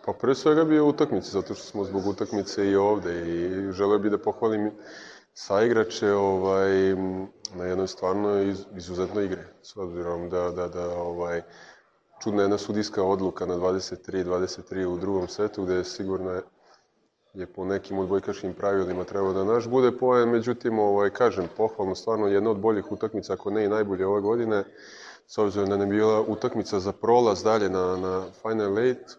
Pa prije svega bi o utakmici, zato što smo zbog utakmice i ovde i želeo bih da pohvalim saigrače na jednoj stvarno izuzetnoj igre, s obzirom da čudna jedna sudijska odluka na 23-23 u drugom setu, gde je sigurno je po nekim odbojkaškim pravilima trebao da naš bude poen, međutim, kažem, pohvalno, stvarno jedna od boljih utakmica, ako ne i najbolje ove godine, s obzirom da ne bila utakmica za prolaz dalje na Final Eight.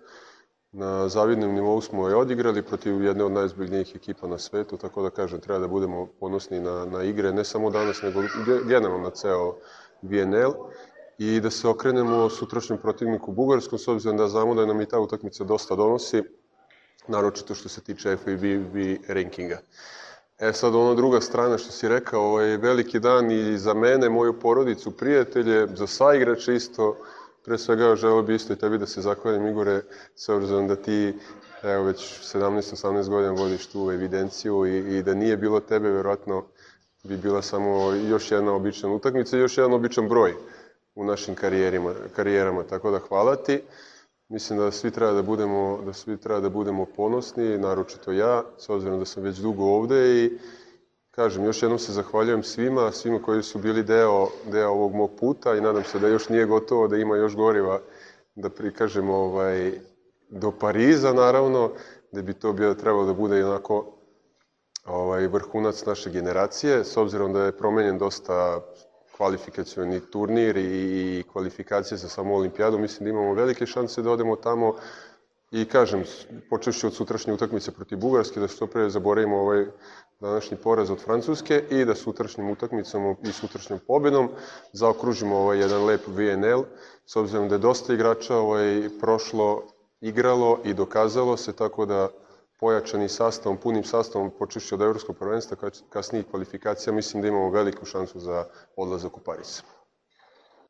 Na zavidnom nivou smo je odigrali protiv jedne od najozbiljnijih ekipa na svetu, tako da kažem, treba da budemo ponosni na igre, ne samo danas, nego generalno na ceo VNL i da se okrenemo sutrašnjem protivniku Bugarskom, s obzirom da znamo da nam i ta utakmica dosta donosi, naročito što se tiče FIBB rankinga. Sad ono druga strana što si rekao, je veliki dan i za mene, moju porodicu, prijatelje, za saigrače isto. Pre svega želeo bi isto i tebi da se zahvalim, Igore, s obzirom da ti već 17-18 godina vodiš tu evidenciju i da nije bilo tebe, verovatno bi bila samo još jedna obična utakmica i još jedan običan broj u našim karijerama, tako da hvala ti. Mislim da svi treba da budemo ponosni, naročito ja, s obzirom da sam već dugo ovde i kažem, još jednom se zahvaljujem svima koji su bili deo ovog mog puta i nadam se da još nije gotovo, da ima još goriva da prikažemo do Pariza, naravno, da bi to trebalo da bude onako vrhunac naše generacije, s obzirom da je promenjen dosta kvalifikacioni turnir i kvalifikacije za samu olimpijadu, mislim da imamo velike šanse da odemo tamo i kažem, počevši od sutrašnje utakmice protiv Bugarske, da što pre zaboravimo ovaj današnji poraz od Francuske i da sutrašnjim utakmicom i sutrašnjom pobedom zaokružimo jedan lep VNL, s obzirom da je dosta igrača prošlo, igralo i dokazalo se, tako da pojačani sastavom, punim sastavom, počevši od evropskog prvenstva, kasnijih kvalifikacija, mislim da imamo veliku šansu za odlazak u Pariz.